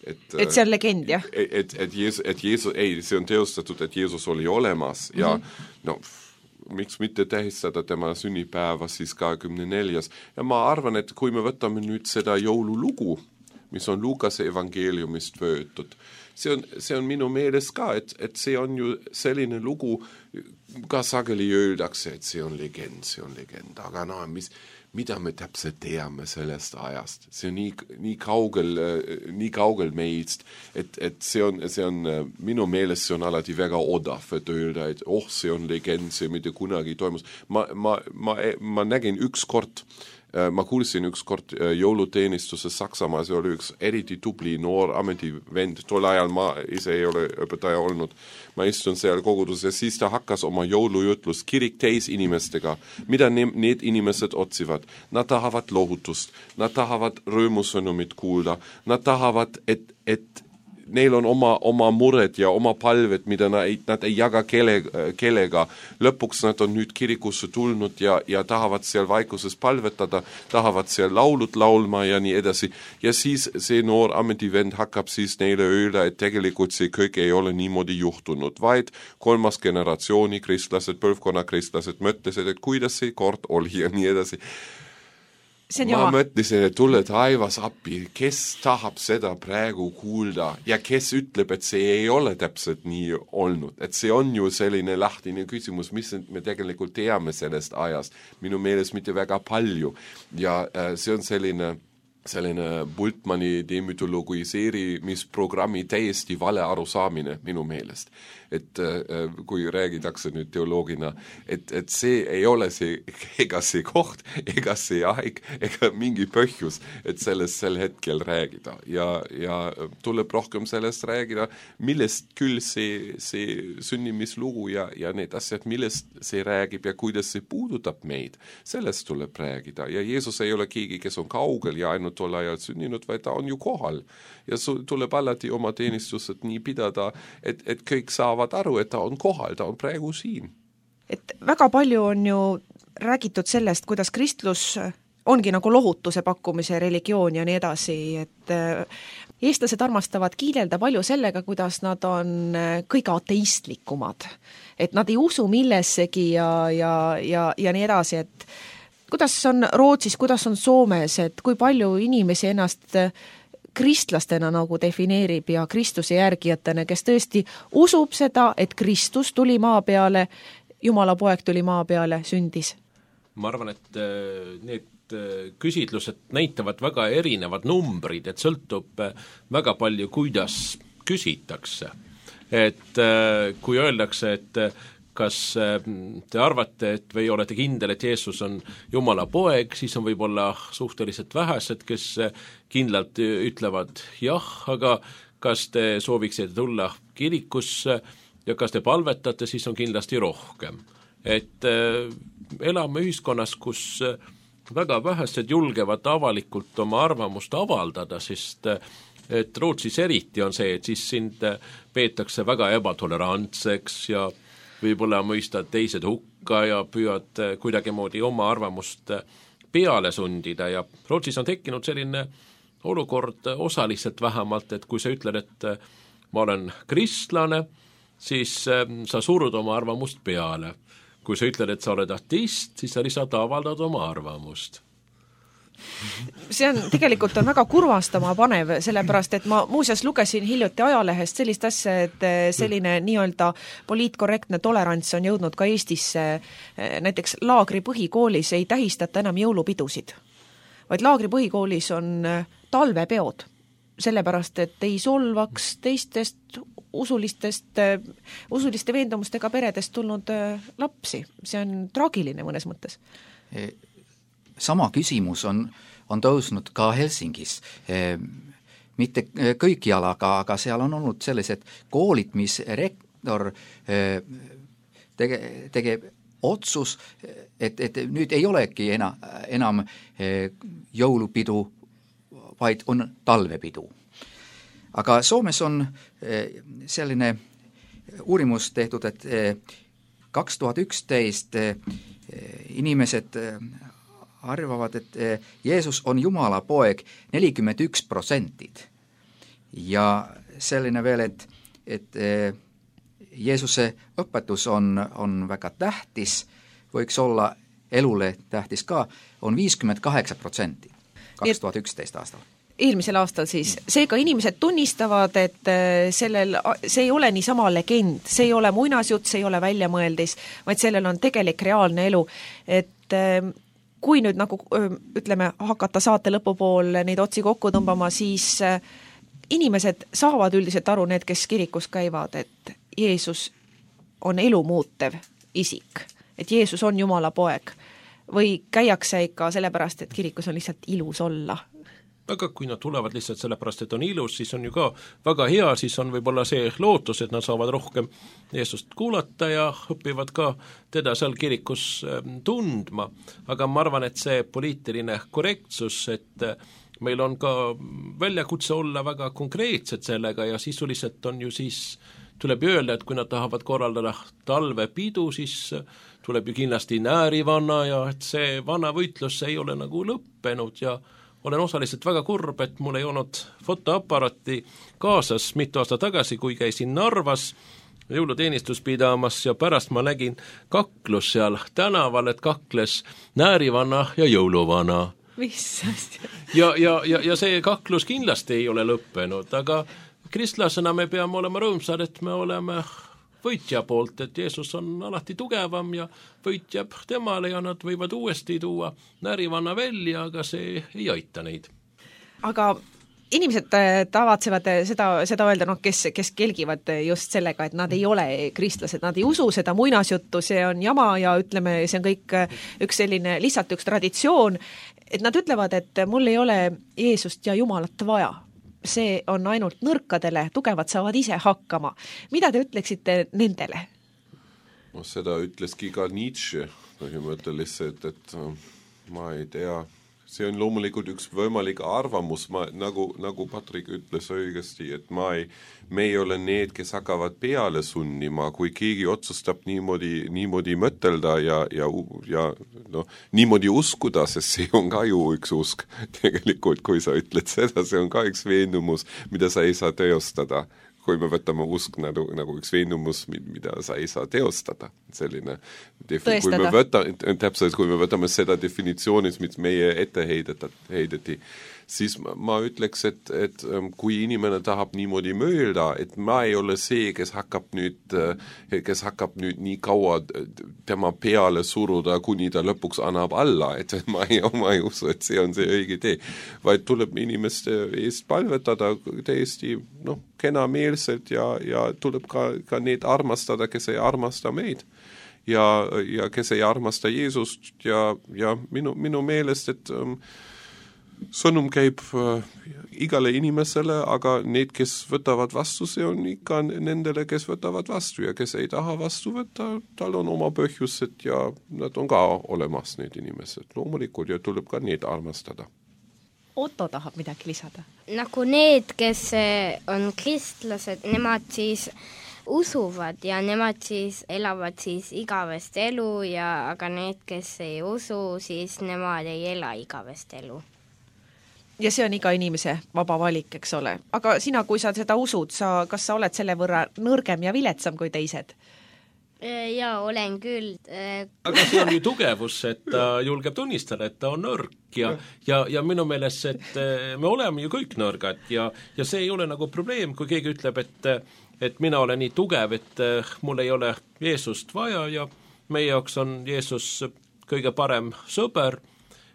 et see on legend, jah? Et Jeesus, see on teostatud, et Jeesus oli olemas ja miks mitte tähistada tema sünnipäeva siis 24. Ja ma arvan, et kui me võtame nüüd seda jõululugu, mis on Lukase evangeeliumist võetud. See on minu meelest ka, et see on ju selline lugu, ka sageli öeldakse, et see on legend, aga mida me täpselt teame sellest ajast. See on nii kaugel meist, et see on minu meelest see on alati väga odav, et öelda, et see on legend, see mitte kunagi toimus. Ma nägin ma kuulsin ükskord jõuluteenistuses Saksamaal, see oli üks eriti tubli noor ametivend, tol ajal ma ise ei ole õpetaja olnud, ma istun seal koguduses ja siis ta hakkas oma jõulujutlust kirik täis inimestega, mida need inimesed otsivad. Nad tahavad lohutust, nad tahavad rõõmusõnumit kuulda, nad tahavad, et neil on oma mured ja oma palved, mida nad ei jaga kellega. Lõpuks nad on nüüd kirikusse tulnud ja tahavad seal vaikuses palvetada, tahavad seal laulud laulma ja nii edasi. Ja siis see noor ametivend hakkab siis neile öelda, et tegelikult see kõik ei ole niimoodi juhtunud, vaid 3. generatsiooni kristlased, põlvkonna kristlased mõtlesid, et kuidas see kord oli ja nii edasi. Ma mõtlesin, et tule taivas appi, kes tahab seda praegu kuulda ja kes ütleb, et see ei ole täpselt nii olnud, et see on ju selline lahtine küsimus, mis me tegelikult teame sellest ajast, minu meelest mitte väga palju ja see on selline Bultmanni demütologiseerimisprogrammi täiesti vale arusaamine minu meelest. Et kui räägitakse nüüd teoloogina, et see ei ole ega see koht, ega see aeg, ega mingi põhjus, et sellest sel hetkel räägida. Ja tuleb rohkem sellest räägida, millest küll see sünnimislugu ja need asjad, millest see räägib ja kuidas see puudutab meid. Sellest tuleb räägida. Ja Jeesus ei ole keegi, kes on kaugel ja ainult tol ajal sünninud, vaid ta on ju kohal. Ja tuleb alati oma teenistused nii pidada, et kõik saavad aru, et ta on kohal, ta on praegu siin. Et väga palju on ju räägitud sellest, kuidas kristlus ongi nagu lohutuse pakkumise religioon ja nii edasi, et eestlased armastavad kiidelda palju sellega, kuidas nad on kõige ateistlikumad. Et nad ei usu millessegi ja nii edasi, et kuidas on Rootsis, kuidas on Soomes, et kui palju inimesi ennast kristlastena nagu defineerib ja Kristuse järgijatena, kes tõesti usub seda, et Kristus tuli maa peale, Jumala poeg tuli maa peale, sündis? Ma arvan, et need küsitlused näitavad väga erinevad numbrid, et sõltub väga palju, kuidas küsitakse. Et kui öeldakse, et kas te arvate, et või olete kindel, et Jeesus on Jumala poeg, siis on võib-olla suhteliselt vähesed, kes kindlalt ütlevad jah, aga kas te sooviksite tulla kirikusse ja kas te palvetate, siis on kindlasti rohkem. Et elame ühiskonnas, kus väga vähesed julgevad avalikult oma arvamust avaldada, sest et Rootsis eriti on see, et siis sind peetakse väga ebatolerantseks ja võib-olla mõistad teised hukka ja püüad kuidagimoodi oma arvamust peale sundida ja Rootsis on tekkinud selline olukord osaliselt vähemalt, et kui sa ütled, et ma olen kristlane, siis sa surud oma arvamust peale. Kui sa ütled, et sa oled ateist, siis sa lihtsalt avaldad oma arvamust. See on tegelikult väga kurvastama panev, sellepärast, et ma muuseas lugesin hiljuti ajalehest sellist asja, et selline nii-öelda poliitkorrektne tolerants on jõudnud ka Eestisse. Näiteks Laagri põhikoolis ei tähistata enam jõulupidusid, vaid Laagri põhikoolis on talvepeod, sellepärast, et ei solvaks teistest usuliste veendumustega peredest tulnud lapsi. See on traagiline mõnes mõttes. Sama küsimus on tõusnud ka Helsingis. Mitte kõikjal, aga seal on olnud sellised koolid, mis rektor tegeb otsus, et nüüd ei olegi enam jõulupidu, vaid on talvepidu. Aga Soomes on selline uurimus tehtud, et 2011 inimesed arvavad, et Jeesus on Jumala poeg 41%. Ja selline veel, et Jeesuse õpetus on väga tähtis, võiks olla elule tähtis ka, on 58% 2011 aastal. eelmisel aastal siis. Seega inimesed tunnistavad, et see ei ole niisama legend, see ei ole muinasjutt, see ei ole väljamõeldis, vaid sellel on tegelik reaalne elu. Et kui nüüd nagu ütleme, hakata saate lõpupool neid otsi kokku tõmbama, siis inimesed saavad üldiselt aru, need, kes kirikus käivad, et Jeesus on elu muutev isik, et Jeesus on Jumala poeg või käiakse ikka sellepärast, et kirikus on lihtsalt ilus olla. Aga kui nad tulevad lihtsalt sellepärast, et on ilus, siis on ju ka väga hea, siis on võib-olla see lootus, et nad saavad rohkem Jeesust kuulata ja õpivad ka teda seal kirikus tundma. Aga ma arvan, et see poliitiline korrektsus, et meil on ka väljakutse olla väga konkreetsed sellega ja sisuliselt on ju siis, tuleb öelda, et kui nad tahavad korraldada talvepidu, siis tuleb ju kindlasti näärivanna ja et see vana võitlus ei ole nagu lõppenud ja olen osaliselt väga kurb, et mul ei olnud fotoaparaati kaasas mitu aasta tagasi, kui käisin Narvas jõuluteenistus pidamas ja pärast ma nägin kaklus seal tänaval, et kakles näärivanna ja jõuluvana. Mis asja? Ja see kaklus kindlasti ei ole lõppenud, aga kristlasena me peame olema rõõmsad, et me oleme võitja poolt, et Jeesus on alati tugevam ja võitjab temale ja nad võivad uuesti tuua näärivanna välja, aga see ei aita neid. Aga inimesed tavatsevad seda öelda, kes kelgivad just sellega, et nad ei ole kristlased, nad ei usu seda muinasjuttu, see on jama ja ütleme, see on kõik lihtsalt üks traditsioon, et nad ütlevad, et mul ei ole Jeesust ja Jumalat vaja. See on ainult nõrkadele, tugevad saavad ise hakkama. Mida te ütleksite nendele? No, seda ütleski ka Nietzsche põhimõtteliselt, et ma ei tea, see on loomulikult üks võimalik arvamus, nagu Patrik ütles õigesti, et me ei ole need, kes hakkavad peale sunnima, kui keegi otsustab niimoodi mõtelda ja niimoodi uskuda, sest see on ka ju üks usk. Tegelikult, kui sa ütled seda, see on ka üks veendumus, mida sa ei saa teostada. Kui me võtame usk nagu üks veendumus, mida sa ei saa teostada. Selline, kui me võtame seda definitsioonis, mis meie ette heideti, siis ma ütleks, et kui inimene tahab niimoodi mõelda, et ma ei ole see, kes hakkab nüüd nii kaua tema peale suruda, kuni ta lõpuks annab alla, et ma ei usu, et see on see õige tee, vaid tuleb inimeste eest palvetada täiesti kenameelselt ja tuleb ka need armastada, kes ei armasta meid. Ja kes ei armasta Jeesust ja minu meelest, et sõnum käib igale inimesele, aga need, kes võtavad vastu, see on ikka nendele, kes võtavad vastu ja kes ei taha vastu võtta, tal on oma põhjused ja nad on ka olemas, need inimesed. Loomulikult ja tuleb ka need armastada. Otto tahab midagi lisada. Nagu need, kes on kristlased, nemad siis usuvad ja nemad siis elavad siis igavest elu aga need, kes ei usu, siis nemad ei ela igavest elu. Ja see on iga inimese vaba valik, eks ole. Aga sina, kui sa seda usud, kas sa oled selle võrra nõrgem ja viletsam kui teised? Jaa, olen küll. Aga see on ju tugevus, et ta julgeb tunnistada, et ta on nõrk ja minu meelest, et me oleme ju kõik nõrgad ja see ei ole nagu probleem, kui keegi ütleb, et mina olen nii tugev, et mul ei ole Jeesust vaja ja meie jaoks on Jeesus kõige parem sõber,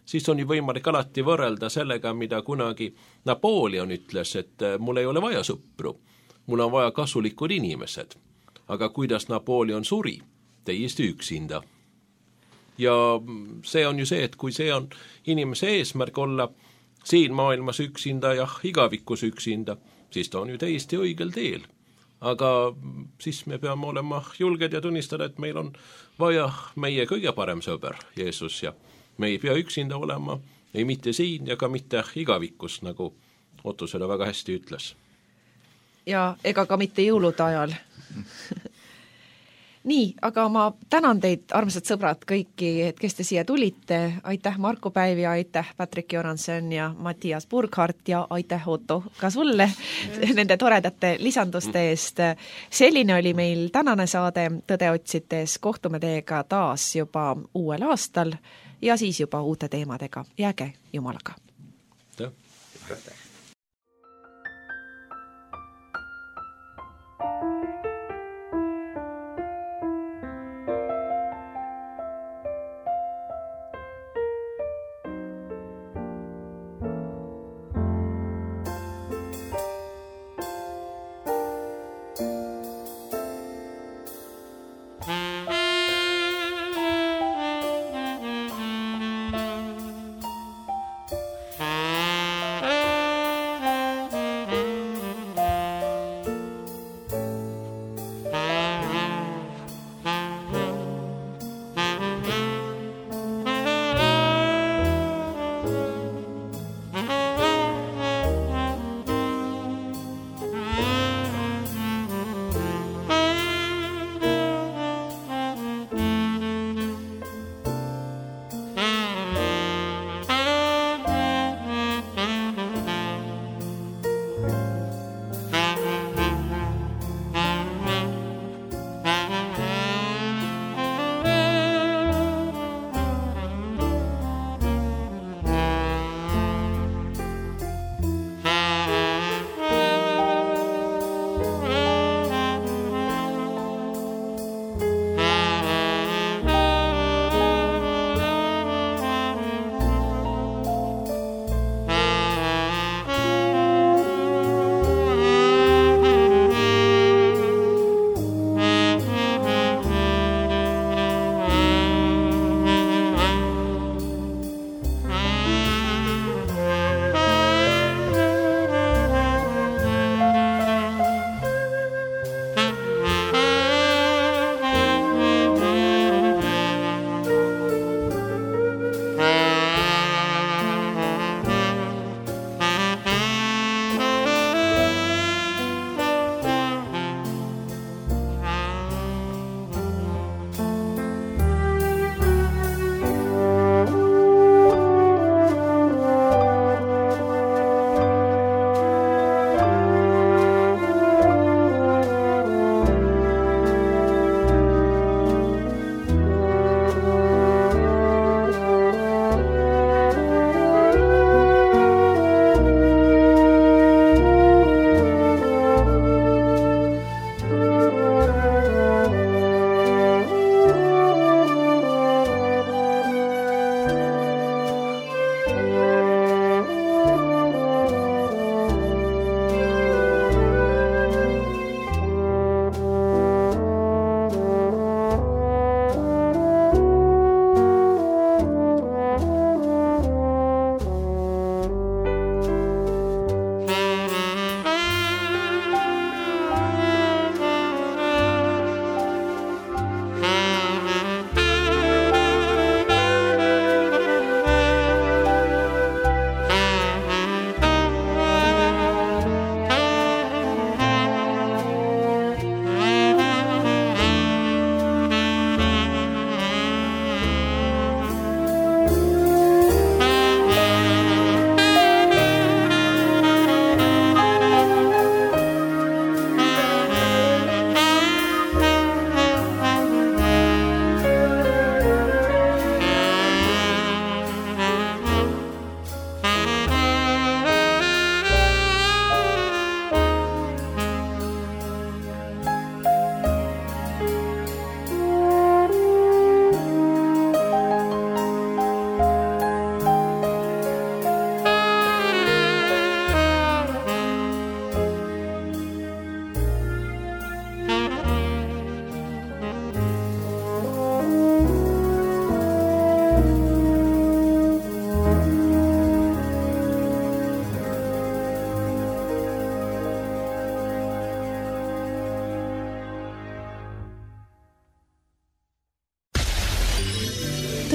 siis on ju võimalik alati võrrelda sellega, mida kunagi Napoleon ütles, et mul ei ole vaja sõpru, mul on vaja kasulikud inimesed. Aga kuidas Napoleon suri? Täiesti üksinda. Ja see on ju see, et kui see on inimese eesmärk olla siin maailmas üksinda ja igavikus üksinda, siis ta on ju täiesti õigel teel. Aga siis me peame olema julged ja tunnistada, et meil on vaja meie kõige parem sõber, Jeesus, ja me ei pea üksinda olema, ei mitte siin ja ka mitte igavikus, nagu Otto seda väga hästi ütles. Ja ega ka mitte jõulude ajal. Nii, aga ma tänan teid, armsad sõbrad, kõiki, et kes te siia tulite. Aitäh Marko Päiv ja aitäh Patrik Joranson ja Mattias Burkhardt ja aitäh Otto ka sulle nende toredate lisanduste eest. Selline oli meil tänane saade Tõde otsites. Kohtume teiega taas juba uuel aastal ja siis juba uute teemadega. Jääge Jumalaga. Aitäh.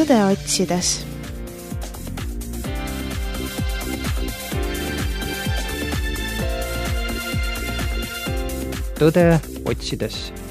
tõde otsides. Tõde otsides.